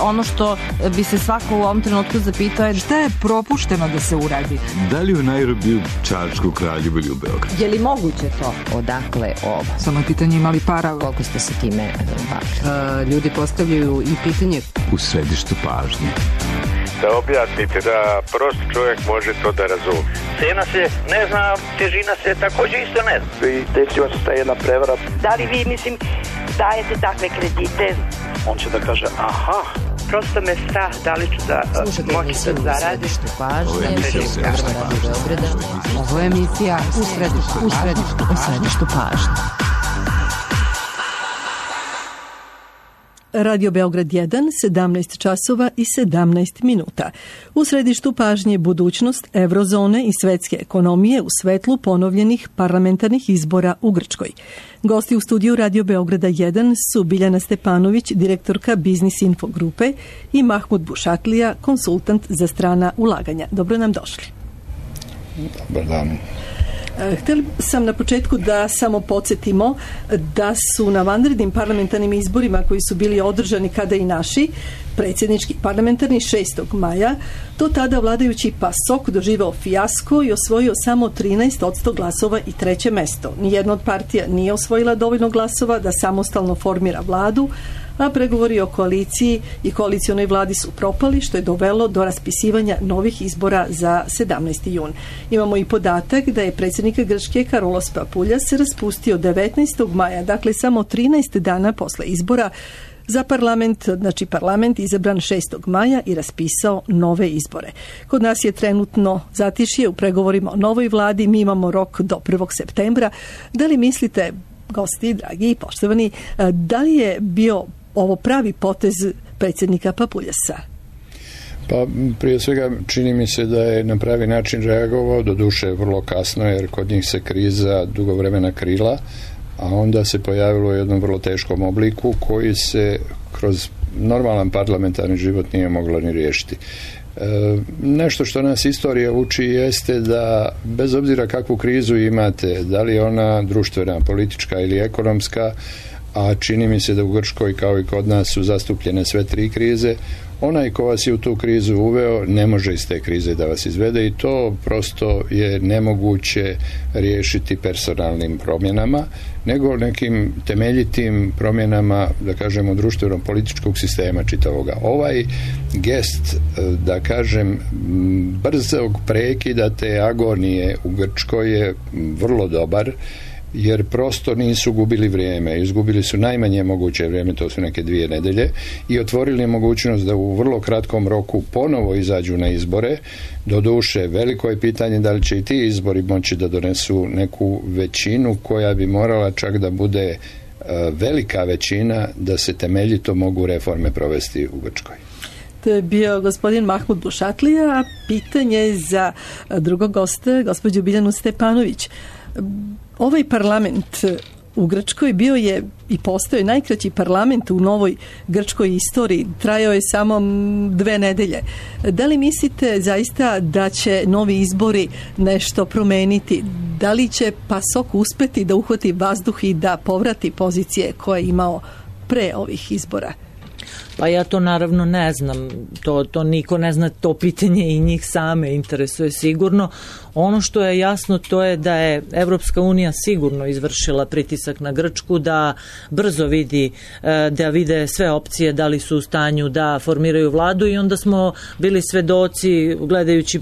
ono što bi se svako u ovom trenutku zapitao je šta je propušteno da se uradi? Da li u Nairobiju, Čačku, Kraljevu ili u Beogradu? Je li moguće to? Odakle ovo? Samo je pitanje imali para. Koliko ste se time bavili? Ljudi postavljaju i pitanje. U središtu pažnje. Da objasnite, da prost čovjek može to da razumije. Cena se ne zna, težina se također isto ne zna. I desila se ta jedna prevara. Da li vi, dajete takve kredite? On će da kaže, aha. Prosto me strah, da li ću da moći da zaradim. Ovo je emisija u središtu pažnje. Radio Beograd 1, 17 časova i 17 minuta. U središtu pažnje budućnost eurozone i svetske ekonomije u svetlu ponovljenih parlamentarnih izbora u Grčkoj. Gosti u studiju Radio Beograda 1 su Biljana Stepanović, direktorka Biznis Info grupe, i Mahmud Bušatlija, konsultant za strana ulaganja. Dobro nam došli. Dobar dan. Htjeli sam na početku da samo podsjetimo da su na vanrednim parlamentarnim izborima koji su bili održani kada i naši predsjednički parlamentarni 6. maja, do tada vladajući PASOK doživao fijasko i osvojio samo 13% glasova i treće mesto. Nijedna od partija nije osvojila dovoljno glasova da samostalno formira vladu, a pregovori o koaliciji i koalicionoj vladi su propali, što je dovelo do raspisivanja novih izbora za 17. jun. Imamo i podatak da je predsjednik Grčke Karolos Papuljas se raspustio 19. maja, dakle samo 13 dana posle izbora, za parlament izabran 6. maja i raspisao nove izbore. Kod nas je trenutno zatišje u pregovorima o novoj vladi, mi imamo rok do 1. septembra. Da li mislite, gosti, dragi i poštovani, da li je bio ovo pravi potez predsjednika Papuljasa? Pa prije svega čini mi se da je na pravi način reagovao, doduše vrlo kasno jer kod njih se kriza dugo vremena krila, a onda se pojavilo u jednom vrlo teškom obliku koji se kroz normalan parlamentarni život nije moglo ni riješiti. Nešto što nas istorija uči jeste da bez obzira kakvu krizu imate, da li je ona društvena, politička ili ekonomska, a čini mi se da u Grčkoj kao i kod nas su zastupljene sve tri krize, onaj ko vas je u tu krizu uveo ne može iz te krize da vas izvede i to prosto je nemoguće riješiti personalnim promjenama, nego nekim temeljitim promjenama, da kažemo, društveno-političkog sistema čitavoga. Ovaj gest, da kažem, brzog prekida te agonije u Grčkoj je vrlo dobar, jer prosto nisu gubili vrijeme, izgubili su najmanje moguće vrijeme, to su neke 2 nedelje, i otvorili mogućnost da u vrlo kratkom roku ponovo izađu na izbore. Doduše, veliko je pitanje da li će i ti izbori moći da donesu neku većinu koja bi morala čak da bude velika većina da se temeljito mogu reforme provesti u Grčkoj. To je bio gospodin Mahmud Bušatlija, a pitanje za drugog gosta, gospođu Biljanu Stepanović. Ovaj parlament u Grčkoj bio je i postoje najkraći parlament u novoj grčkoj istoriji. Trajao je samo 2 nedelje. Da li mislite zaista da će novi izbori nešto promeniti? Da li će PASOK uspeti da uhvati vazduh i da povrati pozicije koje je imao pre ovih izbora? Pa ja to naravno ne znam, to niko ne zna, to pitanje i njih same interesuje sigurno. Ono što je jasno to je da je Evropska unija sigurno izvršila pritisak na Grčku, da brzo da vide sve opcije, da li su u stanju da formiraju vladu, i onda smo bili svedoci, gledajući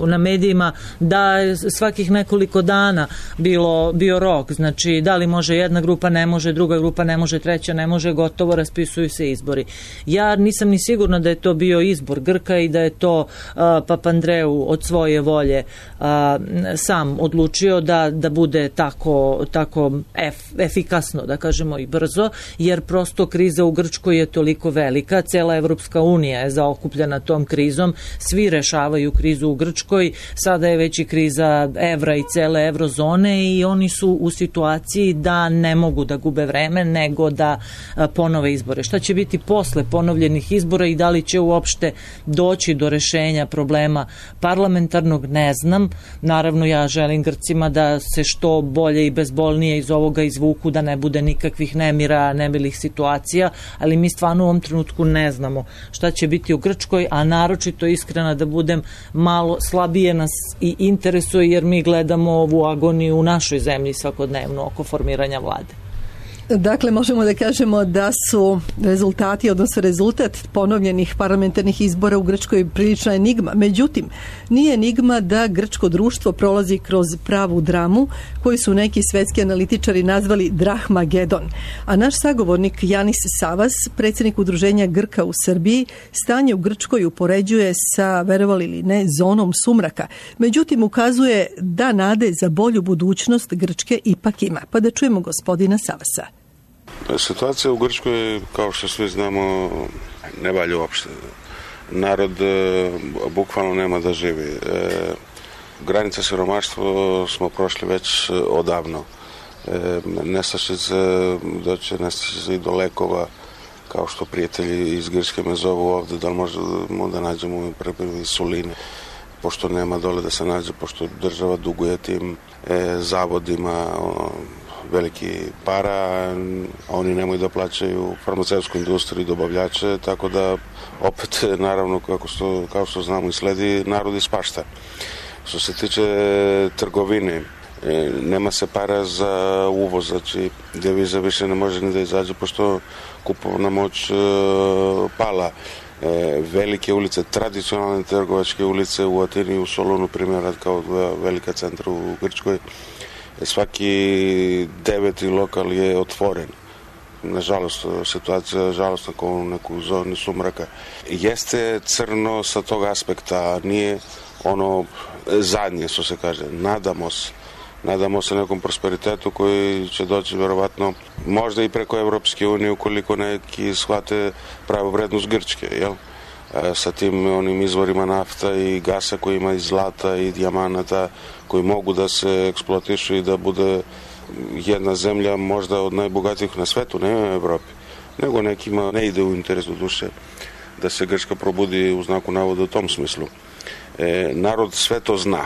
na medijima, da svakih nekoliko dana bio rok, znači da li može jedna grupa, ne može, druga grupa ne može, treća ne može, gotovo, raspisuju se izbori. Ja nisam ni sigurna da je to bio izbor Grka i da je to Papandreou od svoje volje sam odlučio da bude tako efikasno, da kažemo, i brzo, jer prosto kriza u Grčkoj je toliko velika, cela Evropska unija je zaokupljena tom krizom, svi rešavaju krizu u Grčkoj, sada je već i kriza evra i cele eurozone i oni su u situaciji da ne mogu da gube vreme, nego da ponove izbore. Šta će biti posle ponovljenih izbora i da li će uopšte doći do rešenja problema parlamentarnog, ne znam. Naravno, ja želim Grcima da se što bolje i bezbolnije iz ovoga izvuku, da ne bude nikakvih nemira, nemilih situacija, ali mi stvarno u ovom trenutku ne znamo šta će biti u Grčkoj, a naročito iskrena da budem, malo slabije nas i interesuje jer mi gledamo ovu agoniju u našoj zemlji svakodnevno oko formiranja vlade. Dakle, možemo da kažemo da su rezultati, odnosno rezultat ponovljenih parlamentarnih izbora u Grčkoj prilična enigma. Međutim, nije enigma da grčko društvo prolazi kroz pravu dramu koju su neki svetski analitičari nazvali Drahmagedon. A naš sagovornik Janis Savas, predsjednik Udruženja Grka u Srbiji, stanje u Grčkoj upoređuje sa, verovali ili ne, zonom sumraka. Međutim, ukazuje da nade za bolju budućnost Grčke ipak ima. Pa da čujemo gospodina Savasa. Situacija u Grčkoj, kao što svi znamo, ne valja uopšte. Narod bukvalno nema da živi. Granica siromaštva smo prošli već odavno. Nestašice, doće nestašice i do lekova, kao što prijatelji iz Grčke me zovu ovde, da li možemo da nađemo insuline, pošto nema dole da se nađe, pošto država duguje tim zavodima veliki para, a oni nemaju da plaćaju farmaceutsku industriju i dobavljače, tako da opet, naravno, kao što znamo i sledi, narod ispašta. Što se tiče trgovine, nema se para za uvoz, znači deviza više ne može ni da izađe, pošto kupovna moć pala. Velike ulice, tradicionalne trgovačke ulice u Atini i u Solunu, primjer, kao velika centra u Grčkoj, svaki 9. lokal je otvoren. Nažalost, situacija žalostna kao u neku zoni sumraka. Jeste crno sa tog aspekta, nije ono zadnje, što se kaže. Nadamo se nekom prosperitetu koji će doći verovatno možda i preko Evropske unije ukoliko neki shvate pravu vrednost Grčke, jel? Sa tim onim izvorima nafta i gasa koji ima i zlata i dijamanata koji mogu da se eksploatišu i da bude jedna zemlja možda od najbogatijih na svetu, ne u Evropi, nego nekima ne ide u interesu duše da se Grčka probudi u znaku navoda u tom smislu. Narod sve to zna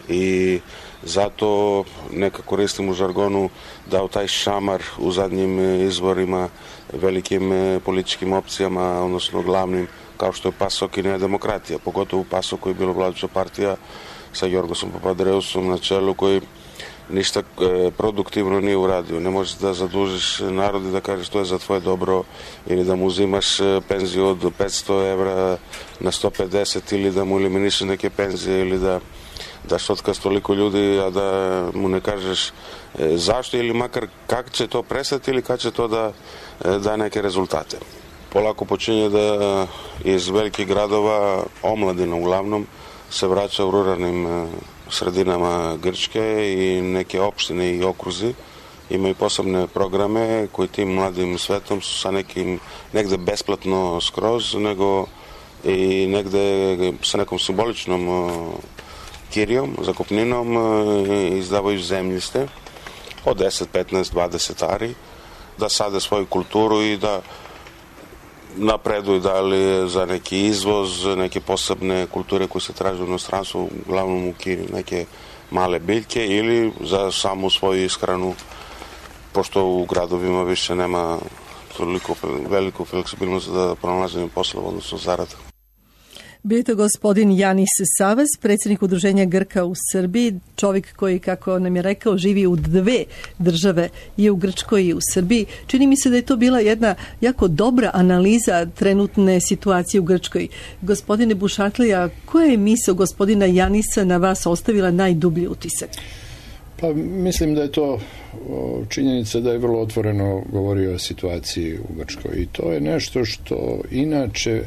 i zato neka koristim u žargonu da u taj šamar u zadnjim izborima velikim političkim opcijama, odnosno glavnim, kao što je PASOK i Nea demokratija, pogotovo PASOK koji je bilo vladajuća partija sa Jorgosom Papadreusom na čelu, koji ništa produktivno nije uradio. Ne možeš da zadužiš narod i da kažeš to je za tvoje dobro ili da mu uzimaš penziju od 500 evra na 150 ili da mu eliminišeš neke penzije ili da daš otkaz toliko ljudi, a da mu ne kažeš zašto ili makar kako će to prestati ili kad će to da da neke rezultate. Polako počinje da iz velikih gradova, omladina uglavnom, se vraća u ruralnim sredinama Grčke i neke opštine i okruzi imaju posebne programe koji tim mladim svetom su sa negde besplatno skroz, nego i negde sa nekom simboličnom kirijom, zakupninom izdavaju zemljiste od 10, 15, 20 ari da sade svoju kulturu i da napreduju da li za neki izvoz, neke posebne kulture koje se traže u inostranstvu, uglavnom u Kini, neke male biljke ili za samu svoju ishranu, pošto u gradovima više nema toliko veliku fleksibilnost da pronalaženje poslova, odnosno zarada. Bio je to gospodin Janis Savas, predsjednik Udruženja Grka u Srbiji, čovjek koji, kako nam je rekao, živi u 2 države, i u Grčkoj i u Srbiji. Čini mi se da je to bila jedna jako dobra analiza trenutne situacije u Grčkoj. Gospodine Bušatlija, koja je misao gospodina Janisa na vas ostavila najdublji utisak? Pa mislim da je to činjenica da je vrlo otvoreno govorio o situaciji u Grčkoj i to je nešto što inače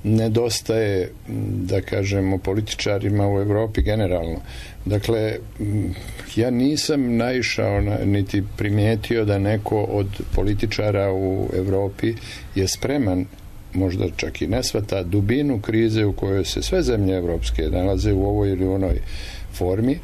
nedostaje, da kažemo, političarima u Evropi generalno. Dakle, ja nisam naišao niti primijetio da neko od političara u Evropi je spreman, možda čak i ne shvata dubinu krize u kojoj se sve zemlje evropske nalaze u ovoj ili onoj formi,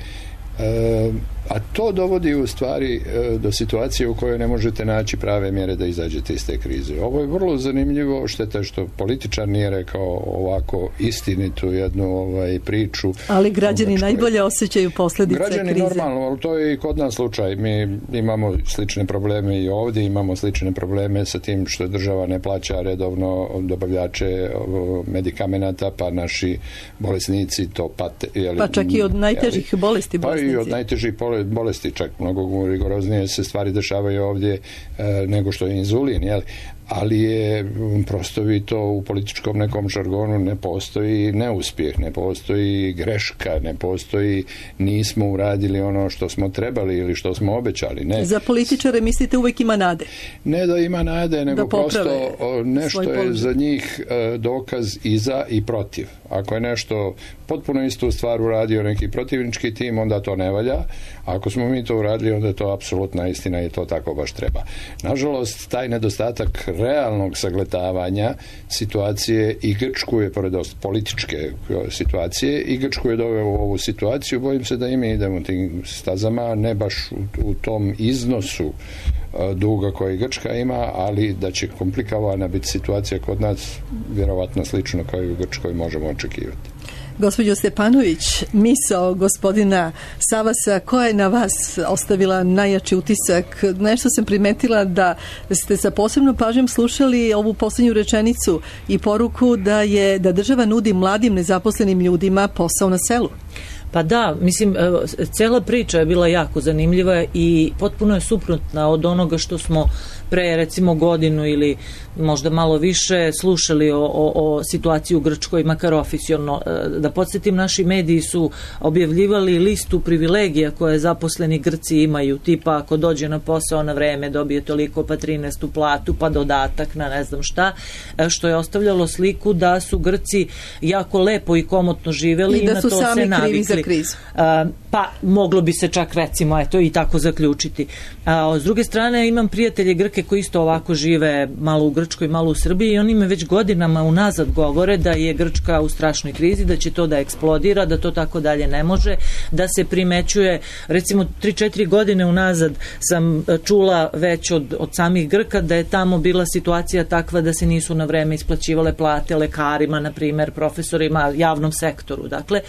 A to dovodi u stvari do situacije u kojoj ne možete naći prave mjere da izađete iz te krize. Ovo je vrlo zanimljivo, šteta što političar nije rekao ovako istinitu jednu priču. Ali građani najbolje osjećaju posljedice krize. Građani normalno, ali to je i kod nas slučaj. Mi imamo slične probleme i ovdje, imamo slične probleme sa tim što država ne plaća redovno dobavljače medikamenata, pa naši bolesnici to pate. Pa čak i od najtežih bolesti bolesnici. Pa i od najtežih bolesti, čak mnogo rigoroznije se stvari dešavaju ovdje nego što je inzulin, jel? Ali je prostovito u političkom nekom žargonu ne postoji neuspjeh, ne postoji greška, ne postoji nismo uradili ono što smo trebali ili što smo obećali. Ne. Za političare mislite uvijek ima nade? Ne da ima nade, nego prosto nešto je za njih dokaz i za i protiv. Ako je nešto potpuno istu stvar uradio neki protivnički tim, onda to ne valja. Ako smo mi to uradili, onda je to apsolutna istina i to tako baš treba. Nažalost, taj nedostatak realnog sagledavanja situacije i Grčku je, pored političke situacije, i Grčku je doveo u ovu situaciju. Bojim se da i mi idemo tim stazama, ne baš u tom iznosu duga koji Grčka ima, ali da će komplikovana biti situacija kod nas, vjerovatno slično kao i u Grčkoj možemo očekivati. Gospođo Stepanović, misao gospodina Savasa, koja je na vas ostavila najjači utisak? Nešto sam primetila da ste sa posebnom pažnjom slušali ovu posljednju rečenicu i poruku da država nudi mladim nezaposlenim ljudima posao na selu. Pa da, mislim, cela priča je bila jako zanimljiva i potpuno je suprotna od onoga što smo pre recimo godinu ili možda malo više slušali o situaciji u Grčkoj, makar oficijalno. Da podsjetim, naši mediji su objavljivali listu privilegija koje zaposleni Grci imaju, tipa ako dođe na posao na vreme dobije toliko, pa 13. platu, pa dodatak na ne znam šta, što je ostavljalo sliku da su Grci jako lepo i komotno živjeli i da su sami krivi za krizu. Pa moglo bi se čak recimo i tako zaključiti. S druge strane, imam prijatelje Grke koji isto ovako žive, malo u Grčkoj, malo u Srbiji, i oni me već godinama unazad govore da je Grčka u strašnoj krizi, da će to da eksplodira, da to tako dalje ne može, da se primećuje, recimo 3-4 godine unazad sam čula već od samih Grka da je tamo bila situacija takva da se nisu na vreme isplaćivale plate lekarima, na primjer, profesorima, javnom sektoru. Dakle,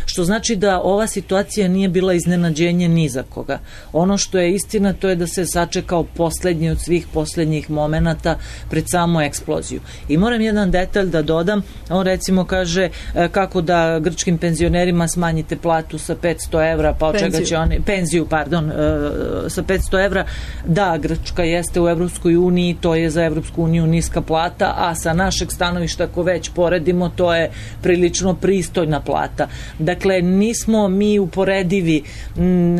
što znači da ova situacija nije bila iznenađenje ni za koga. Ono što je istina, to je da se sačekao posljednji od svih posljednjih momenata pred samu eksploziju. I moram jedan detalj da dodam. On recimo kaže kako da grčkim penzionerima smanjite platu sa 500 evra, pa od čega će oni, penziju, sa 500 evra. Da, Grčka jeste u Evropskoj uniji, to je za Evropsku uniju niska plata, a sa našeg stanovišta, ako već poredimo, to je prilično pristojna plata. Dakle, nismo mi uporedivi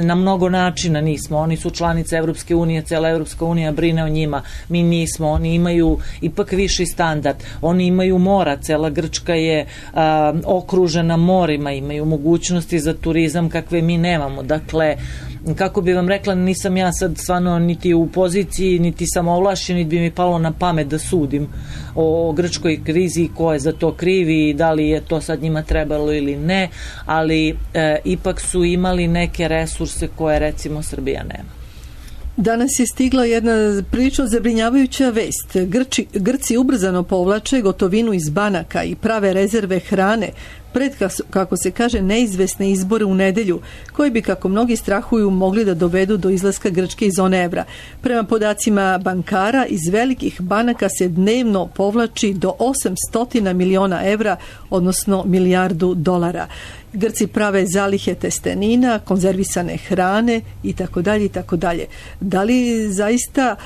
na mnogo načina, nismo. Oni su članice Evropske unije, cela Evropska unija brine o njima. Mi nismo. Oni imaju ipak viši standard. Oni imaju mora. Cela Grčka je okružena morima. Imaju mogućnosti za turizam kakve mi nemamo. Dakle, kako bi vam rekla, nisam ja sad stvarno niti u poziciji, niti sam ovlašćen, niti bi mi palo na pamet da sudim o grčkoj krizi i ko je za to krivi i da li je to sad njima trebalo ili ne, ali ipak su imali neke resurse koje recimo Srbija nema. Danas je stigla jedna prilično zabrinjavajuća vest. Grci ubrzano povlače gotovinu iz banaka i prave rezerve hrane pred, kako se kaže, neizvesne izbore u nedelju, koji bi, kako mnogi strahuju, mogli da dovedu do izlaska Grčke iz zone evra. Prema podacima bankara, iz velikih banaka se dnevno povlači do 800 miliona evra, odnosno milijardu dolara. Grci prave zalihe testenina, konzervisane hrane i tako dalje i tako dalje. Da li zaista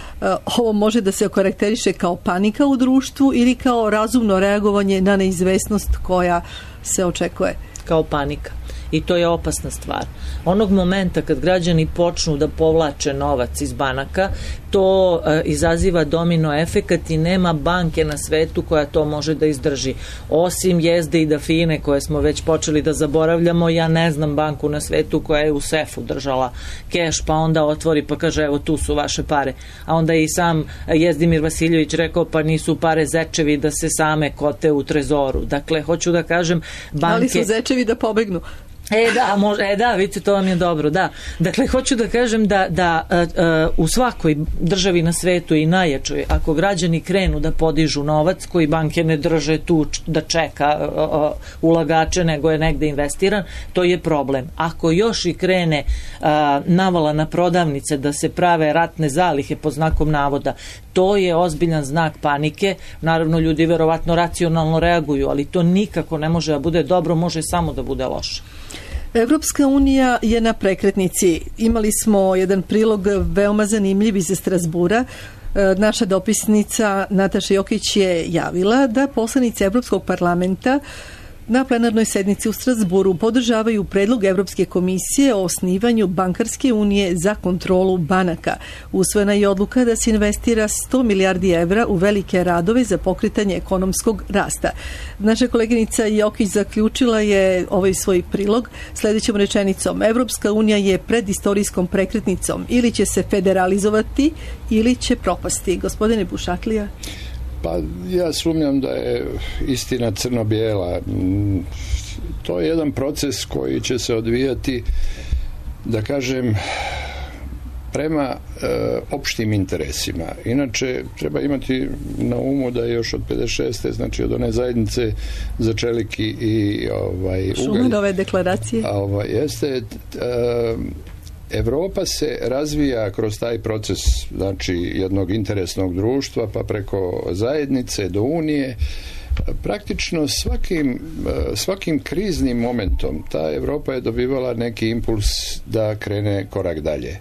ovo može da se okarakteriše kao panika u društvu ili kao razumno reagovanje na neizvesnost koja se očekuje? Kao panika. I to je opasna stvar. Onog momenta kad građani počnu da povlače novac iz banaka, to izaziva domino efekat i nema banke na svetu koja to može da izdrži. Osim Jezde i Dafine koje smo već počeli da zaboravljamo, ja ne znam banku na svetu koja je u sefu držala keš, pa onda otvori pa kaže evo tu su vaše pare. A onda i sam Jezdimir Vasiljević rekao pa nisu pare zečevi da se same kote u trezoru. Dakle, hoću da kažem, banke... Ali su zečevi da pobegnu. Vidite, to vam je dobro, da. Dakle, hoću da kažem da u svakoj državi na svetu i najjačoj, ako građani krenu da podižu novac koji banke ne drže tu da čeka ulagače, nego je negde investiran, to je problem. Ako još i krene navala na prodavnice da se prave ratne zalihe pod znakom navoda, to je ozbiljan znak panike. Naravno, ljudi verovatno racionalno reaguju, ali to nikako ne može da bude dobro, može samo da bude loše. Evropska unija je na prekretnici. Imali smo jedan prilog veoma zanimljiv iz Strasbura. Naša dopisnica Nataša Jokić je javila da poslanici Evropskog parlamenta na plenarnoj sednici u Strasburu podržavaju predlog Evropske komisije o osnivanju bankarske unije za kontrolu banaka. Usvojena je odluka da se investira 100 milijardi evra u velike radove za pokretanje ekonomskog rasta. Naša koleginica Jokić zaključila je ovaj svoj prilog sljedećom rečenicom: Evropska unija je pred istorijskom prekretnicom, ili će se federalizovati ili će propasti. Gospodine Bušatlija? Pa ja sumnjam da je istina crno-bijela. To je jedan proces koji će se odvijati, da kažem, prema opštim interesima. Inače, treba imati na umu da je još od 56. znači od one zajednice za čelik i ugalj. Šumanove deklaracije. Jeste... Evropa se razvija kroz taj proces, znači jednog interesnog društva, pa preko zajednice do unije. Praktično svakim kriznim momentom ta Evropa je dobivala neki impuls da krene korak dalje.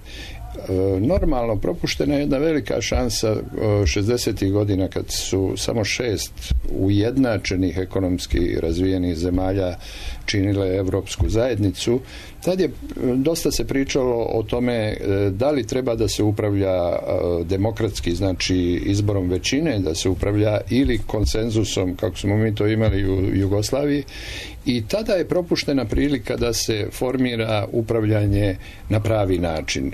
Normalno, propuštena je jedna velika šansa 60. godina kad su samo 6 ujednačenih ekonomski razvijenih zemalja činile Evropsku zajednicu. Tad je dosta se pričalo o tome da li treba da se upravlja demokratski, znači izborom većine, da se upravlja, ili konsenzusom, kako smo mi to imali u Jugoslaviji. I tada je propuštena prilika da se formira upravljanje na pravi način.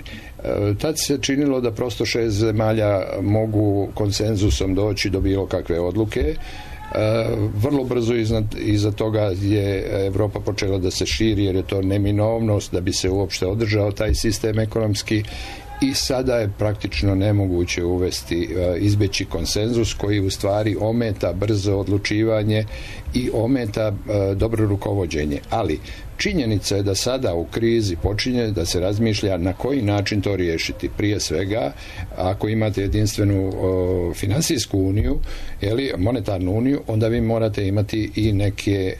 Tad se činilo da prosto 6 zemalja mogu konsenzusom doći do bilo kakve odluke. Vrlo brzo iza toga je Evropa počela da se širi, jer je to neminovnost da bi se uopšte održao taj sistem ekonomski, i sada je praktično nemoguće izbjeći konsenzus koji u stvari ometa brzo odlučivanje i ometa dobro rukovođenje. Ali činjenica je da sada u krizi počinje da se razmišlja na koji način to riješiti. Prije svega, ako imate jedinstvenu finansijsku uniju, monetarnu uniju, onda vi morate imati i neke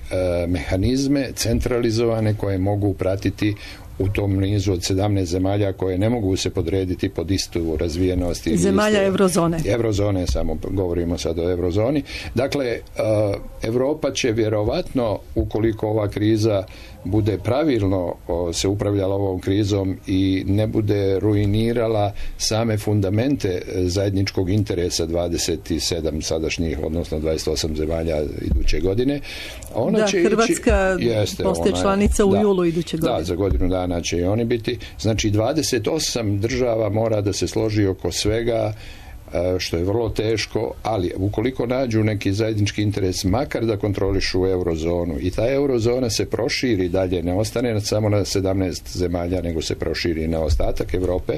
mehanizme centralizovane koje mogu pratiti u tom nizu od 17 zemalja koje ne mogu se podrediti pod istu razvijenost. Zemalja eurozone. Eurozone, samo govorimo sad o eurozoni. Dakle, Europa će vjerovatno, ukoliko ova kriza bude pravilno se upravljala ovom krizom i ne bude ruinirala same fundamente zajedničkog interesa 27 sadašnjih, odnosno 28 zemalja iduće godine. Hrvatska postaje članica u julu iduće godine. Da, za godinu dana će i oni biti. Znači 28 država mora da se složi oko svega, što je vrlo teško, ali ukoliko nađu neki zajednički interes, makar da kontrolišu eurozonu, i ta eurozona se proširi dalje, ne ostane samo na 17 zemalja, nego se proširi na ostatak Europe,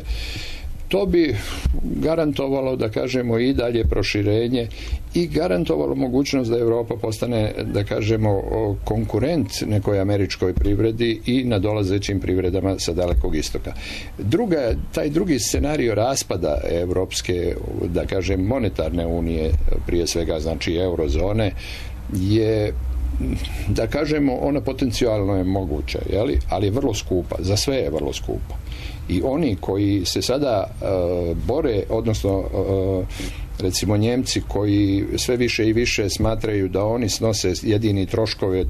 to bi garantovalo, da kažemo, i dalje proširenje i garantovalo mogućnost da Europa postane, da kažemo, konkurent nekoj američkoj privredi i nadolazećim privredama sa Dalekog istoka. Taj drugi scenario raspada evropske, da kažem, monetarne unije, prije svega znači eurozone, je, da kažemo, ona potencijalno je moguća, ali je vrlo skupa, za sve je vrlo skupa. I oni koji se sada bore, odnosno recimo Njemci koji sve više i više smatraju da oni snose jedini troškove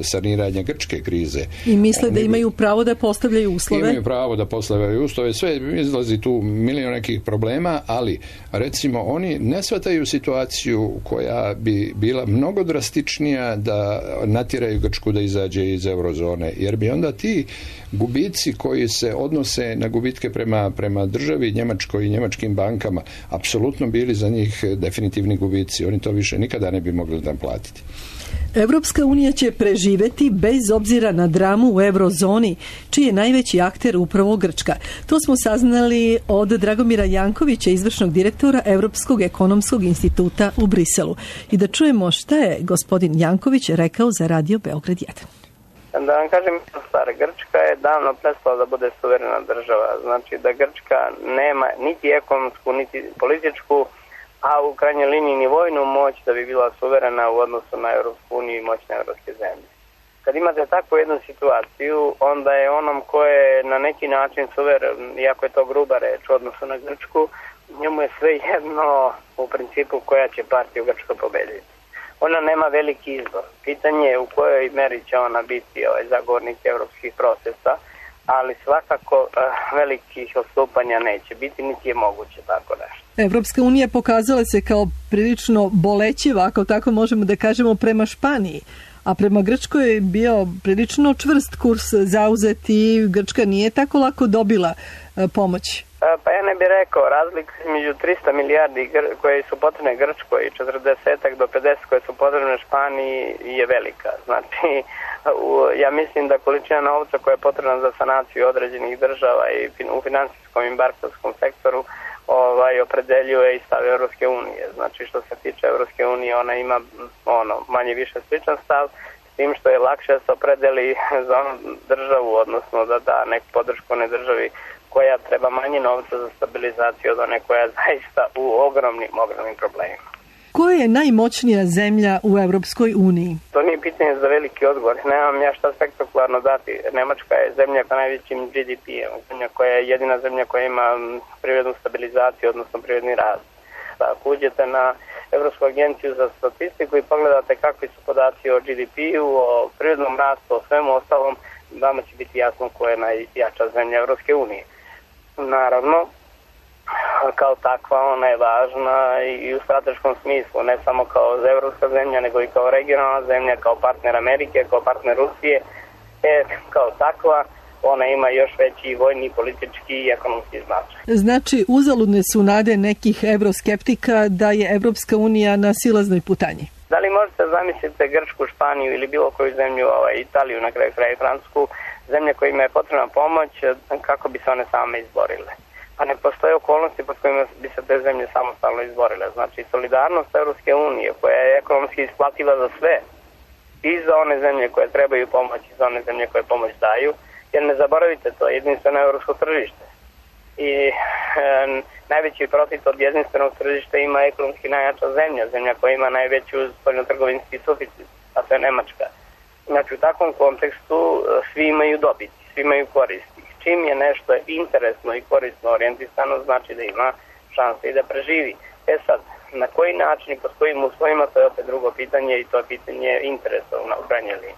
saniranja grčke krize. I misle da imaju pravo da postavljaju uslove. Imaju pravo da postavljaju uslove. Sve izlazi tu milion nekih problema, ali recimo oni ne shvataju situaciju koja bi bila mnogo drastičnija da natjeraju Grčku da izađe iz eurozone, jer bi onda ti gubici koji se odnose na gubitke prema državi Njemačkoj i njemačkim bankama apsolutno bili za njih definitivni gubici. Oni to više nikada ne bi mogli naplatiti. Evropska unija će preživeti bez obzira na dramu u eurozoni, čiji je najveći akter upravo Grčka. To smo saznali od Dragomira Jankovića, izvršnog direktora Evropskog ekonomskog instituta u Briselu. I da čujemo šta je gospodin Janković rekao za Radio Beograd 1. Da vam kažem stvar, Grčka je davno prestala da bude suverena država. Znači da Grčka nema niti ekonomsku, niti političku, a u krajnjoj liniji ni vojnu moć da bi bila suverena u odnosu na Europsku uniju i moćne evropske zemlje. Kad imate takvu jednu situaciju, onda je onom ko je na neki način suveren, iako je to gruba reč u odnosu na Grčku, njemu je sve jedno u principu koja će partija u Grčkoj pobediti. Ona nema veliki izbor. Pitanje je u kojoj meri će ona biti zagovornik evropskih procesa, ali svakako velikih odstupanja neće biti, niti je moguće tako nešto. Evropska unija pokazala se kao prilično bolećiva, ako tako možemo da kažemo, prema Španiji, a prema Grčkoj je bio prilično čvrst kurs zauzet i Grčka nije tako lako dobila pomoć. Pa ja ne bih rekao, razlika između 300 milijardi koje su potrebne Grčkoj i 40 do 50 koje su potrebne Španiji je velika. Znači, ja mislim da količina novca koja je potrebna za sanaciju određenih država i u finansijskom i bankarskom sektoru opredeljuje i stav Evropske unije. Znači, što se tiče Evropske unije, ona ima manje više sličan stav, s tim što je lakše da se opredeli za onu državu, odnosno da da neku podršku onoj državi koja treba manje novca za stabilizaciju od one koja je zaista u ogromnim problemima. Koja je najmoćnija zemlja u Evropskoj uniji? To nije pitanje za veliki odgovor. Nemam ja šta spektakularno dati. Nemačka je zemlja sa najvećim GDP-em, zemlja koja je jedina zemlja koja ima privrednu stabilizaciju, odnosno privredni rast. Ako uđete na Evropsku agenciju za statistiku i pogledate kakvi su podaci o GDP-u, o privrednom rastu, o svemu ostalom, vama će biti jasno koja je najjača zemlja Evropske unije. Naravno, kao takva ona je važna i u strateškom smislu, ne samo kao evropska zemlja, nego i kao regionalna zemlja, kao partner Amerike, kao partner Rusije. Kao takva ona ima još veći vojni, politički i ekonomski značaj. Znači, uzaludne su nade nekih evroskeptika da je Evropska unija na silaznoj putanji. Da li možete zamisliti Grčku, Španiju ili bilo koju zemlju, Italiju, na kraju kraja Francusku, zemlje kojima je potrebna pomoć, kako bi se one same izborile? Pa ne postoje okolnosti pod kojima bi se te zemlje samostalno izborile. Znači, solidarnost Evropske unije, koja je ekonomski isplativa za sve, i za one zemlje koje trebaju pomoć, i za one zemlje koje pomoć daju, jer ne zaboravite, to je jedinstveno evropsko tržište. I najveći profit od jedinstvenog tržišta ima ekonomski najjača zemlja koja ima najveću spoljnotrgovinski suficit, a to je Nemačka. Znači, u takvom kontekstu svi imaju dobiti, svi imaju koristi. Čim je nešto interesno i korisno orijentisano, znači da ima šanse i da preživi. Sad, na koji način i pod kojim uslovima, to je opet drugo pitanje i to je pitanje interesa u krajnjoj liniji.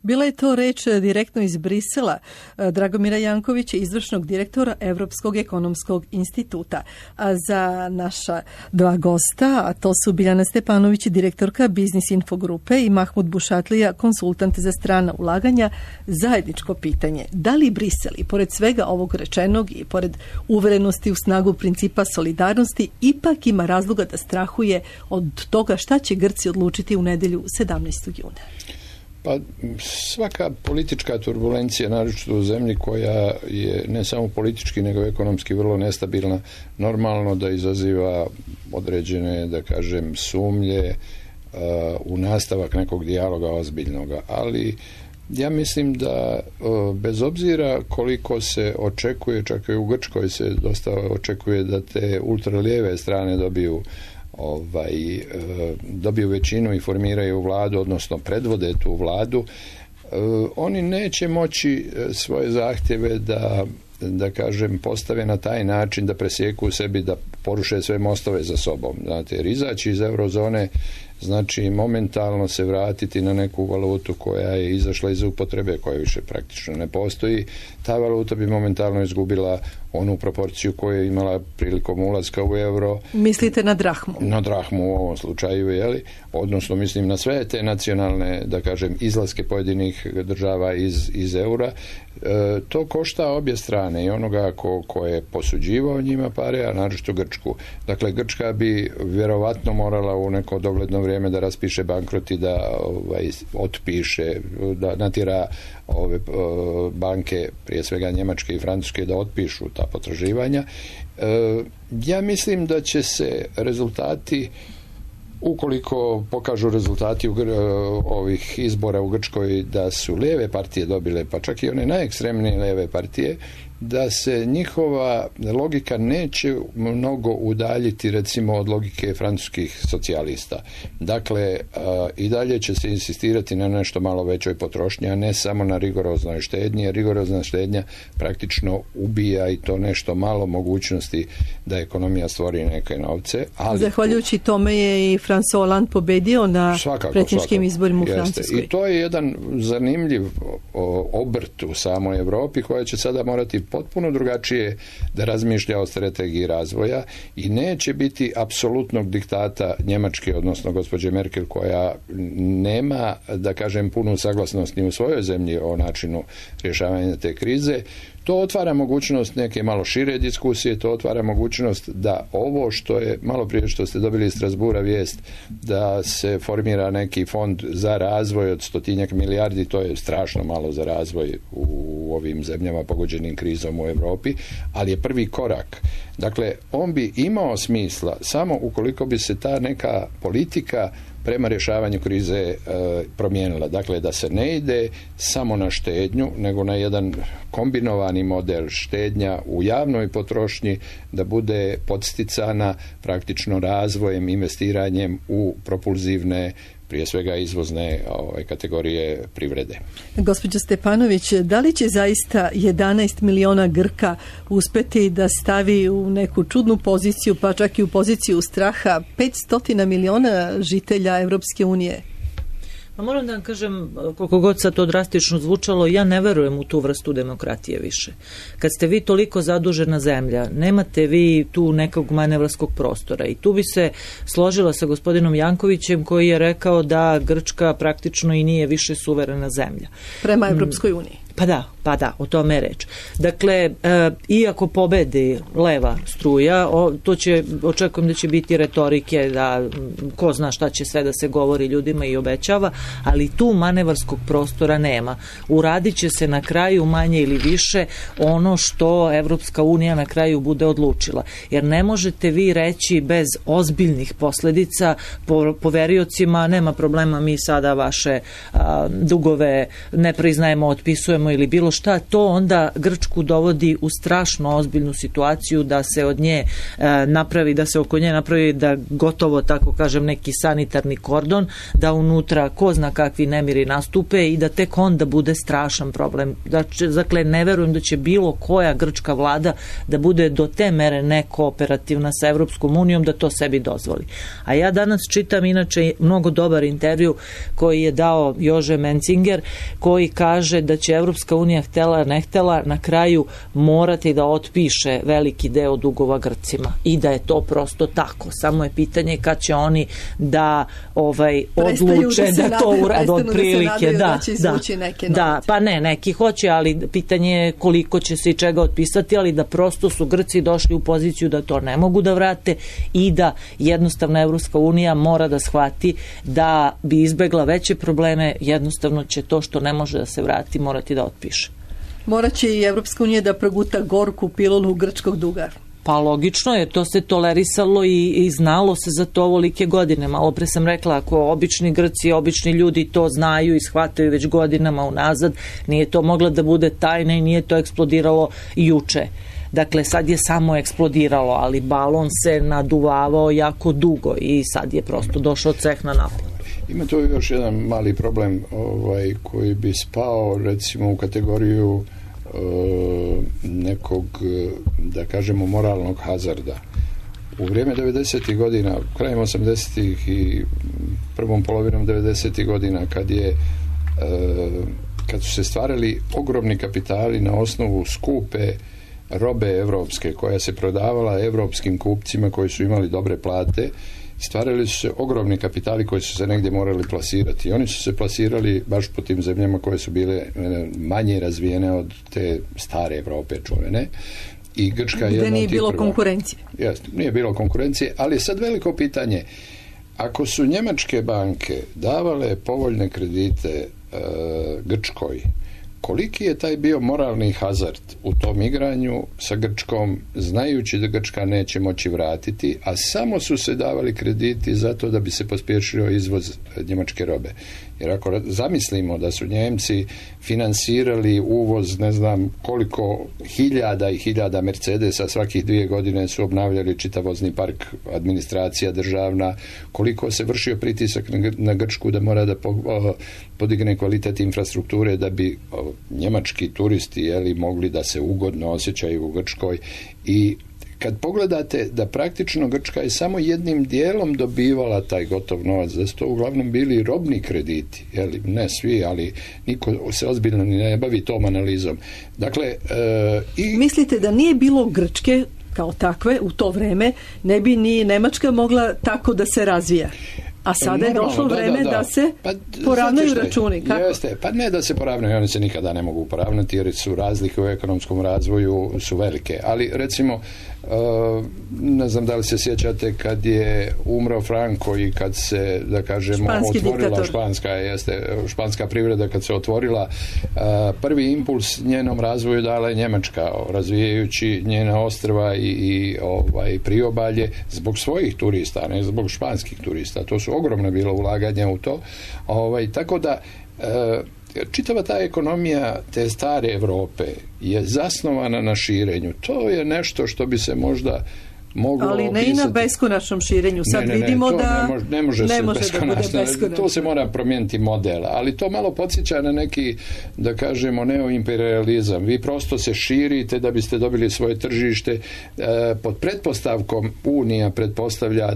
Bila je to reč direktno iz Brisela Dragomira Jankovića, izvršnog direktora Evropskog ekonomskog instituta. A za naša dva gosta, a to su Biljana Stepanović, direktorka Biznis Info grupe, i Mahmud Bušatlija, konsultant za strana ulaganja, zajedničko pitanje. Da li Brisel, i pored svega ovog rečenog i pored uverenosti u snagu principa solidarnosti, ipak ima razloga da strahuje od toga šta će Grci odlučiti u nedelju 17. juna? Pa svaka politička turbulencija, naročito u zemlji koja je ne samo politički nego ekonomski vrlo nestabilna, normalno da izaziva određene, da kažem, sumnje u nastavak nekog dijaloga ozbiljnoga. Ali ja mislim da bez obzira koliko se očekuje, čak i u Grčkoj se dosta očekuje da te ultralijeve strane dobiju većinu i formiraju vladu, odnosno predvode tu vladu, oni neće moći svoje zahtjeve da kažem, postave na taj način da presjeku u sebi, da poruše sve mostove za sobom. Znate, jer izaći iz eurozone znači momentalno se vratiti na neku valutu koja je izašla iz upotrebe, koja više praktično ne postoji. Ta valuta bi momentalno izgubila onu proporciju koju je imala prilikom ulaska u euro. Mislite na drahmu? Na drahmu u ovom slučaju, jeli? Odnosno mislim na sve te nacionalne, da kažem, izlaske pojedinih država iz eura. To košta obje strane, i onoga ko je posuđivao njima pare, a naročito Grčku. Dakle, Grčka bi vjerovatno morala u neko dogledno vrijeme da raspiše bankrot i da otpiše, da natjera ove banke, prije svega njemačke i francuske, da otpišu ta potraživanja. Ja mislim da će se rezultati, ukoliko pokažu rezultati ovih izbora u Grčkoj da su lijeve partije dobile, pa čak i one najekstremnije lijeve partije, da se njihova logika neće mnogo udaljiti recimo od logike francuskih socijalista. Dakle, i dalje će se insistirati na nešto malo većoj potrošnji, a ne samo na rigoroznoj štednji, jer rigorozna štednja praktično ubija i to nešto malo mogućnosti da ekonomija stvori neke novce. Ali zahvaljujući tome je i François Hollande pobedio na predsjedničkim izborima u Francuskoj. I to je jedan zanimljiv obrt u samoj Europi koja će sada morati potpuno drugačije da razmišlja o strategiji razvoja i neće biti apsolutnog diktata Njemačke, odnosno gospođe Merkel, koja nema, da kažem, punu saglasnost ni u svojoj zemlji o načinu rješavanja te krize. To otvara mogućnost neke malo šire diskusije, to otvara mogućnost da ovo što je, malo prije što ste dobili iz Strasbura vijest, da se formira neki fond za razvoj od 100 milijardi, to je strašno malo za razvoj u ovim zemljama pogođenim krizom u Europi, ali je prvi korak. Dakle, on bi imao smisla samo ukoliko bi se ta neka politika prema rješavanju krize promijenila. Dakle, da se ne ide samo na štednju, nego na jedan kombinovani model štednja u javnoj potrošnji, da bude podsticana praktično razvojem, investiranjem u propulzivne, prije svega izvozne kategorije privrede. Gospođo Stepanović, da li će zaista 11 miliona Grka uspjeti da stavi u neku čudnu poziciju, pa čak i u poziciju straha 500 miliona žitelja Evropske unije? Pa moram da vam kažem, koliko god sad to drastično zvučalo, ja ne verujem u tu vrstu demokratije više. Kad ste vi toliko zadužena zemlja, nemate vi tu nekog manevarskog prostora, i tu bi se složila sa gospodinom Jankovićem koji je rekao da Grčka praktično i nije više suverena zemlja. Prema Evropskoj uniji. Pa da, o tome je reč. Dakle, iako pobedi leva struja, očekujem da će biti retorike, da ko zna šta će sve da se govori ljudima i obećava, ali tu manevarskog prostora nema. Uradit će se na kraju manje ili više ono što Evropska unija na kraju bude odlučila. Jer ne možete vi reći bez ozbiljnih posljedica poveriocima, nema problema, mi sada vaše dugove ne priznajemo, otpisujemo ili bilo šta, to onda Grčku dovodi u strašno ozbiljnu situaciju da se od nje napravi, da se oko nje napravi, da gotovo, tako kažem, neki sanitarni kordon, da unutra ko zna kakvi nemiri nastupe i da tek onda bude strašan problem. Dakle, ne verujem da će bilo koja grčka vlada da bude do te mere nekooperativna sa Evropskom unijom da to sebi dozvoli. A ja danas čitam inače mnogo dobar intervju koji je dao Jože Mencinger, koji kaže da će Evropska unija, htela ne htela, na kraju morati da otpiše veliki deo dugova Grcima i da je to prosto tako. Samo je pitanje kad će oni da odluče da to urade od prilike. Da, pa ne, neki hoće, ali pitanje je koliko će se i čega otpisati, ali da prosto su Grci došli u poziciju da to ne mogu da vrate i da jednostavno Evropska unija mora da shvati da bi izbegla veće probleme, jednostavno će to što ne može da se vrati morati da otpiše. Morat će i Evropska unija da proguta gorku pilulu grčkog duga. Pa logično je, to se tolerisalo i znalo se za to ovolike godine. Malo pre sam rekla, ako obični Grci, obični ljudi to znaju i shvataju već godinama unazad, nije to mogla da bude tajna i nije to eksplodiralo juče. Dakle, sad je samo eksplodiralo, ali balon se naduvavao jako dugo i sad je prosto došao ceh na napad. Ima to još jedan mali problem koji bi spao recimo u kategoriju nekog, da kažemo, moralnog hazarda. U vrijeme 90. godina, krajem 80. i prvom polovinom 90. godina kad su se stvarali ogromni kapitali na osnovu skupe robe evropske koja se prodavala evropskim kupcima koji su imali dobre plate, stvarali su se ogromni kapitali koji su se negdje morali plasirati. I oni su se plasirali baš po tim zemljama koje su bile manje razvijene od te stare Evrope čuvene. I Grčka je gdje nije bilo konkurencije. Jeste, nije bilo konkurencije, ali je sad veliko pitanje. Ako su njemačke banke davale povoljne kredite Grčkoj, koliki je taj bio moralni hazard u tom igranju sa Grčkom, znajući da Grčka neće moći vratiti, a samo su se davali krediti zato da bi se pospješio izvoz njemačke robe. Jer ako zamislimo da su Njemci finansirali uvoz, ne znam koliko hiljada i hiljada Mercedesa, svakih 2 godine su obnavljali čitav vozni park, administracija državna, koliko se vršio pritisak na Grčku da mora da podigne kvalitet infrastrukture da bi njemački turisti mogli da se ugodno osjećaju u Grčkoj. I kad pogledate da praktično Grčka je samo jednim dijelom dobivala taj gotov novac, da su to uglavnom bili robni krediti, ne svi, ali niko se ozbiljno ne bavi tom analizom. Dakle, mislite da nije bilo Grčke kao takve u to vreme, ne bi ni Nemačka mogla tako da se razvija? A sada je došlo vreme da se poravnaju računi. Kako? Jeste, pa ne da se poravnaju, oni se nikada ne mogu poravnati jer su razlike u ekonomskom razvoju su velike. Ali recimo, ne znam da li se sjećate kad je umro Franco i kad se, da kažemo, otvorila španska privreda, kad se otvorila, prvi impuls njenom razvoju dala je Njemačka, razvijajući njena ostrva i priobalje zbog svojih turista, ne zbog španskih turista. To su ogromna bila ulaganja u to. Tako da čitava ta ekonomija te stare Evrope je zasnovana na širenju. To je nešto što bi se možda moglo ali ne opisati. I na beskonačnom širenju. Sad vidimo da ne može da bude beskonačno. To se mora promijeniti model, ali to malo podsjeća na neki, da kažemo, neoimperializam. Vi prosto se širite da biste dobili svoje tržište. Pod pretpostavkom Unija pretpostavlja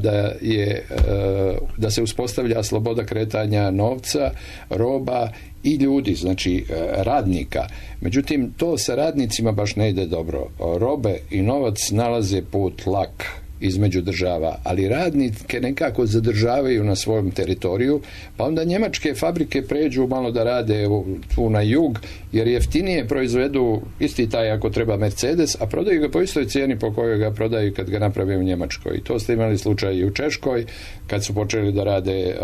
da se uspostavlja sloboda kretanja novca, roba i ljudi, znači radnika. Međutim, to sa radnicima baš ne ide dobro. Robe i novac nalaze put lak između država, ali radnike nekako zadržavaju na svojom teritoriju, pa onda njemačke fabrike pređu malo da rade tu na jug, jer jeftinije proizvedu isti taj ako treba Mercedes, a prodaju ga po istoj cijeni po kojoj ga prodaju kad ga naprave u Njemačkoj. I to ste imali slučaj i u Češkoj, kad su počeli da rade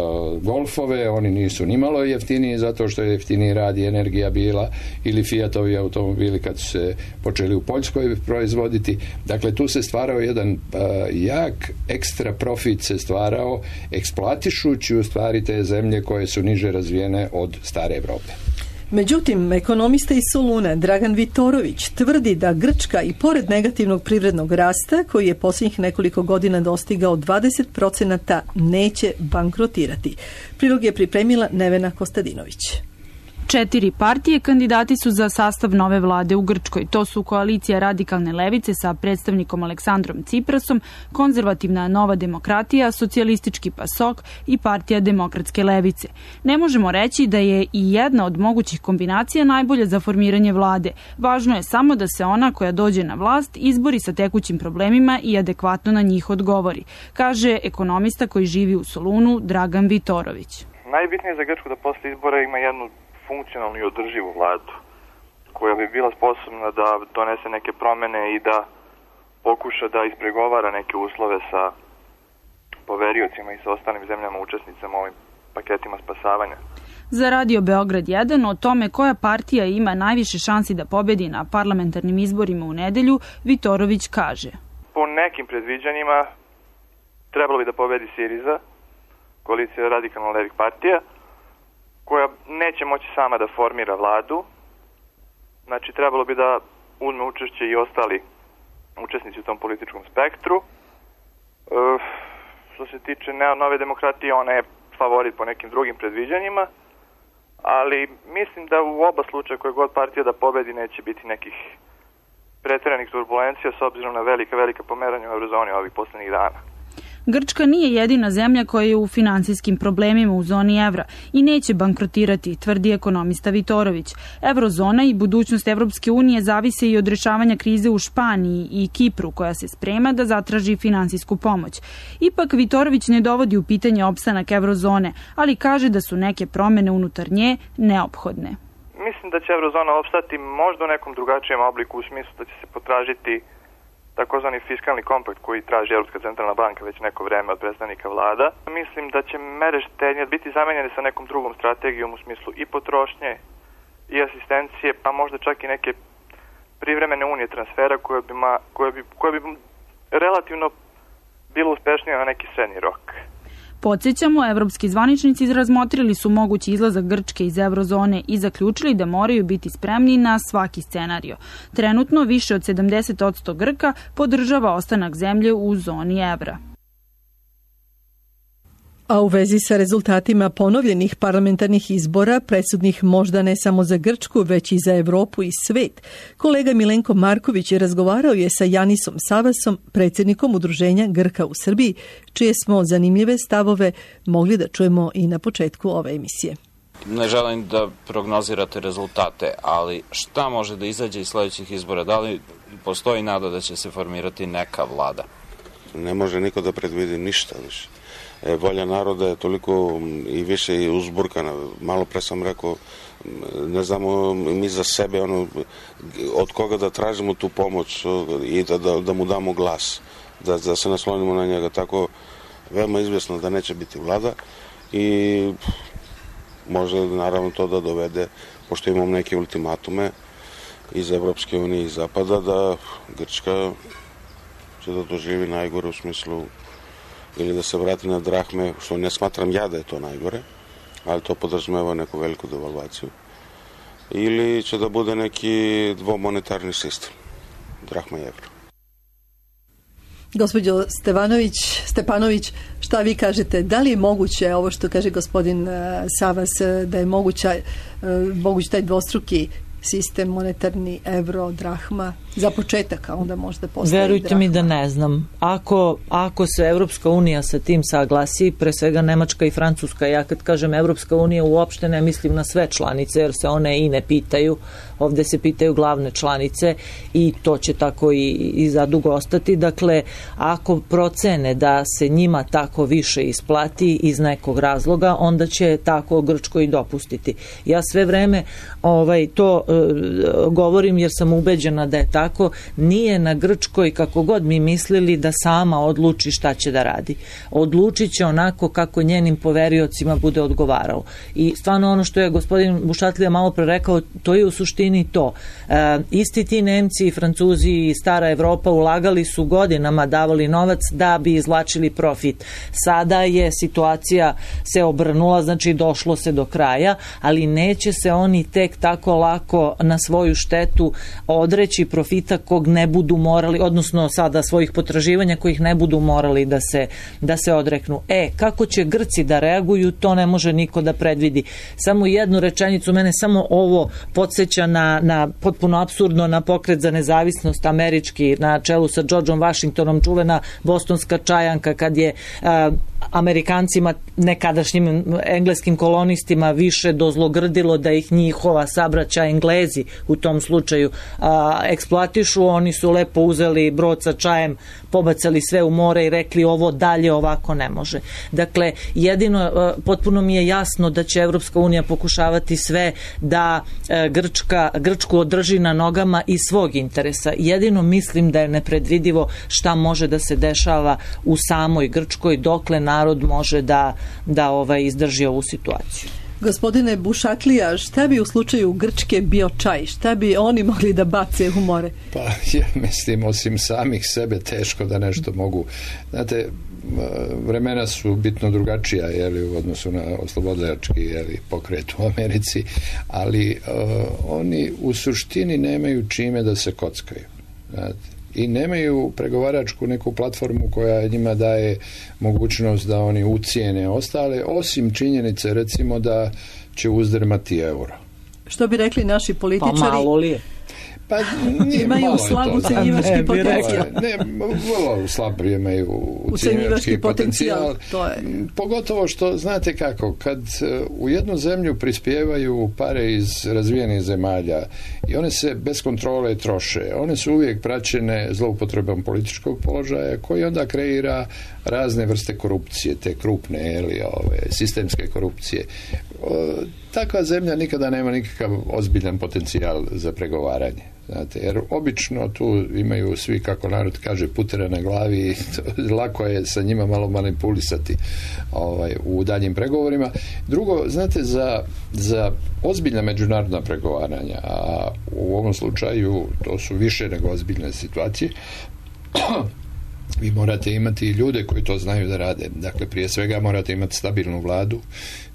Golfove, oni nisu nimalo jeftiniji zato što je jeftiniji rad i energija bila, ili Fiatovi automobili kad su se počeli u Poljskoj proizvoditi. Dakle, tu se stvarao jedan jak ekstra profit se stvarao, eksploatišući u stvari te zemlje koje su niže razvijene od stare Evrope. Međutim, ekonomista iz Soluna Dragan Vitorović tvrdi da Grčka i pored negativnog privrednog rasta, koji je posljednjih nekoliko godina dostigao 20%, neće bankrotirati. Prilog je pripremila Nevena Kostadinović. 4 partije kandidati su za sastav nove vlade u Grčkoj. To su Koalicija radikalne levice sa predstavnikom Aleksandrom Ciprasom, Konzervativna nova demokratija, Socijalistički PASOK i Partija demokratske levice. Ne možemo reći da je i jedna od mogućih kombinacija najbolja za formiranje vlade. Važno je samo da se ona koja dođe na vlast izbori sa tekućim problemima i adekvatno na njih odgovori, kaže ekonomista koji živi u Solunu Dragan Vitorović. Najbitnije za Grčku da posle izbora ima jednu funkcionalnu i održivu vladu koja bi bila sposobna da donese neke promjene i da pokuša da ispregovara neke uslove sa poveriocima i sa ostalim zemljama učesnicama ovim paketima spasavanja. Za Radio Beograd 1 o tome koja partija ima najviše šansi da pobedi na parlamentarnim izborima u nedelju, Vitorović kaže: po nekim predviđanjima trebalo bi da pobedi Siriza, koalicija radikalno levih partija, koja neće moći sama da formira vladu. Znači, trebalo bi da uzme učešće i ostali učesnici u tom političkom spektru. Što se tiče nove demokratije, ona je favorit po nekim drugim predviđanjima, ali mislim da u oba slučaja koje god partija da pobedi neće biti nekih pretjeranih turbulencija s obzirom na velika pomeranja u eurozoni ovih posljednjih dana. Grčka nije jedina zemlja koja je u finansijskim problemima u zoni evra i neće bankrotirati, tvrdi ekonomista Vitorović. Eurozona i budućnost Evropske unije zavise i od rešavanja krize u Španiji i Kipru, koja se sprema da zatraži finansijsku pomoć. Ipak Vitorović ne dovodi u pitanje opstanak Eurozone, ali kaže da su neke promene unutar nje neophodne. Mislim da će Eurozona opstati možda u nekom drugačijem obliku, u smislu da će se potražiti takozvani fiskalni kompakt koji traži Europska centralna banka već neko vreme od predstavnika vlada. Mislim da će mere štednje biti zamenjene sa nekom drugom strategijom u smislu i potrošnje i asistencije, pa možda čak i neke privremene unije transfera koje bi relativno bilo uspešnije na neki srednji rok. Podsjećamo, evropski zvaničnici razmotrili su mogući izlazak Grčke iz eurozone i zaključili da moraju biti spremni na svaki scenario. Trenutno više od 70% Grka podržava ostanak zemlje u zoni evra. A u vezi sa rezultatima ponovljenih parlamentarnih izbora, presudnih možda ne samo za Grčku, već i za Evropu i svet, kolega Milenko Marković razgovarao je sa Janisom Savasom, predsjednikom Udruženja Grka u Srbiji, čije smo zanimljive stavove mogli da čujemo i na početku ove emisije. Ne želim da prognozirate rezultate, ali šta može da izađe iz sledećih izbora? Da li postoji nada da će se formirati neka vlada? Ne može niko da predvidi ništa više. Volja naroda je toliko i više i uzburkana. Malo pre sam rekao, ne znamo mi za sebe od koga da tražimo tu pomoć i da mu damo glas, da se naslonimo na njega. Tako veoma izvjesno da neće biti vlada i može naravno to da dovede, pošto imamo neke ultimatume iz Evropske unije i Zapada, da Grčka će da doživi najgore u smislu ili da se vrati na drahme, što ne smatram ja da je to najgore, ali to podrazumeva neku veliku devalvaciju. Ili će da bude neki dvomonetarni sistem, drahma i evro. Gospođo Stepanović, šta vi kažete? Da li je moguće, ovo što kaže gospodin Savas, da je moguć taj dvostruki sistem monetarni evro, drahma, za početak, a onda možda postaje Verujte drahma. Mi da ne znam. Ako se Evropska unija sa tim saglasi, pre svega Nemačka i Francuska, ja kad kažem Evropska unija uopšte ne mislim na sve članice, jer se one i ne pitaju, ovde se pitaju glavne članice i to će tako i zadugo ostati. Dakle, ako procene da se njima tako više isplati iz nekog razloga, onda će tako Grčkoj i dopustiti. Ja sve vreme to govorim jer sam ubeđena da je tako. Nije na Grčkoj, kako god mi mislili, da sama odluči šta će da radi. Odlučit će onako kako njenim poveriocima bude odgovaralo. I stvarno ono što je gospodin Bušatlija malo pre rekao, to je u suštini to. Isti ti Nemci i Francuzi i stara Evropa ulagali su godinama, davali novac da bi izvlačili profit. Sada je situacija se obrnula, znači došlo se do kraja, ali neće se oni tek tako lako na svoju štetu odreći profita kog ne budu morali, odnosno sada svojih potraživanja kojih ne budu morali da se odreknu. Kako će Grci da reaguju, to ne može niko da predvidi. Samo jednu rečenicu, mene samo ovo podsjeća na potpuno apsurdno na pokret za nezavisnost američki na čelu sa Georgeom Washingtonom, čuvena bostonska čajanka kad je Amerikancima, nekadašnjim engleskim kolonistima više dozlogrdilo da ih njihova sabraća Englezi u tom slučaju eksploatišu, oni su lepo uzeli brod sa čajem, pobacali sve u more i rekli ovo dalje ovako ne može. Dakle, jedino potpuno mi je jasno da će Evropska unija pokušavati sve da Grčku održi na nogama iz svog interesa. Jedino mislim da je nepredvidivo šta može da se dešava u samoj Grčkoj dokle narod može da izdrži ovu situaciju. Gospodine Bušatlija, šta bi u slučaju Grčke bio čaj? Šta bi oni mogli da bace u more? Pa ja mislim, osim samih sebe teško da nešto mogu. Znate, vremena su bitno drugačija u odnosu na oslobodilački pokret u Americi, ali oni u suštini nemaju čime da se kockaju. Znate, i nemaju pregovaračku neku platformu koja njima daje mogućnost da oni ucijene ostale, osim činjenice recimo da će uzdrmati euro. Što bi rekli naši političari? Pa malo li je? Pa imaju slab ucenjivački potencijal. Vrlo slab imaju ucenjivački potencijal. Pogotovo što, znate kako, kad u jednu zemlju prispijevaju pare iz razvijenih zemalja i one se bez kontrole troše, one su uvijek praćene zloupotrebom političkog položaja koji onda kreira razne vrste korupcije, te krupne, sistemske korupcije. Takva zemlja nikada nema nikakav ozbiljan potencijal za pregovaranje. Znate, jer obično tu imaju svi, kako narod kaže, putere na glavi i lako je sa njima malo manipulisati u daljim pregovorima. Drugo, znate, za ozbiljna međunarodna pregovaranja, a u ovom slučaju to su više nego ozbiljne situacije, vi morate imati ljude koji to znaju da rade. Dakle, prije svega morate imati stabilnu vladu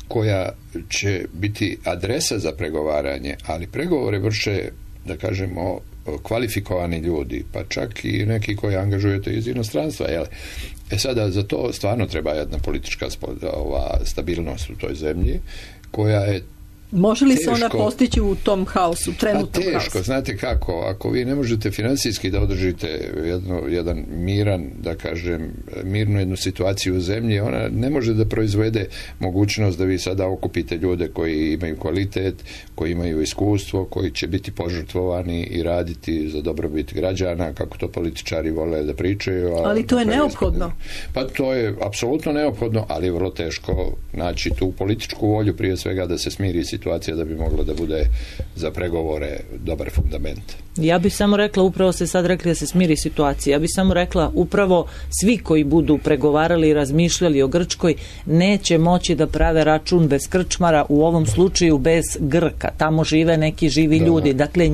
koja će biti adresa za pregovaranje, ali pregovore vrše, da kažemo, kvalifikovani ljudi, pa čak i neki koji angažujete iz inostranstva. Sada za to stvarno treba jedna politička stabilnost u toj zemlji, koja je može li se ona postići u tom haosu, trenutnom haosu? Teško, znate kako, ako vi ne možete financijski da održite jedan miran, da kažem, mirnu jednu situaciju u zemlji, ona ne može da proizvede mogućnost da vi sada okupite ljude koji imaju kvalitet, koji imaju iskustvo, koji će biti požrtvovani i raditi za dobrobit građana, kako to političari vole da pričaju. Ali to je neophodno. Pa to je apsolutno neophodno, ali je vrlo teško naći tu političku volju, prije svega da se smiri situacija da bi moglo da bude za pregovore dobar fundament. Ja bih samo rekla, upravo ste sad rekli da se smiri situacija, ja bih samo rekla upravo svi koji budu pregovarali i razmišljali o Grčkoj neće moći da prave račun bez krčmara, u ovom slučaju bez Grka. Tamo žive neki živi ljudi. Dakle,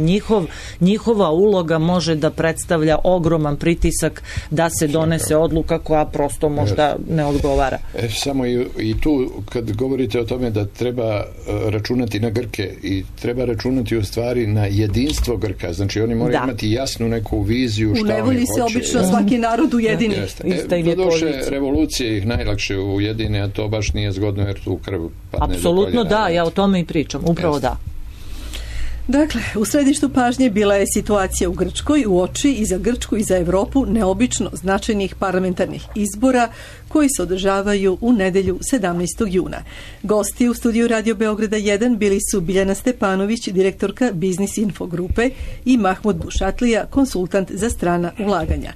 njihova uloga može da predstavlja ogroman pritisak da se donese odluka koja prosto možda ne odgovara. Samo i tu, kad govorite o tome da treba računati na Grke i treba računati u stvari na jedinstvo Grka, znači oni moraju imati jasnu neku viziju šta oni hoće. U nevolji se obično svaki narod ujedini. Doduše, revolucije ih najlakše ujedine, a to baš nije zgodno jer tu krv padne. Apsolutno da, ja o tome i pričam, upravo da. Dakle, u središtu pažnje bila je situacija u Grčkoj uoči i za Grčku i za Europu neobično značajnih parlamentarnih izbora koji se održavaju u nedjelju 17. juna. Gosti u studiju Radio Beograda 1 bili su Biljana Stepanović, direktorka Biznis Info grupe, i Mahmud Bušatlija, konsultant za strana ulaganja.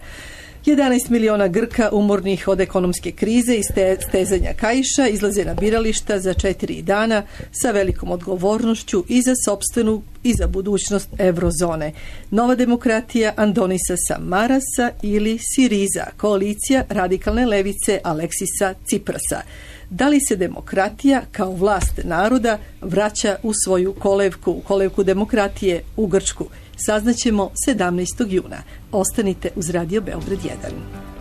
11 miliona Grka umornih od ekonomske krize i stezanja kaiša izlaze na birališta za 4 dana sa velikom odgovornošću i za sopstvenu i za budućnost eurozone. Nova demokratija Andonisa Samarasa ili Siriza, koalicija radikalne levice Aleksisa Ciprasa. Da li se demokratija kao vlast naroda vraća u svoju kolevku demokratije u Grčku? Saznaćemo 17. juna. Ostanite uz Radio Beograd 1.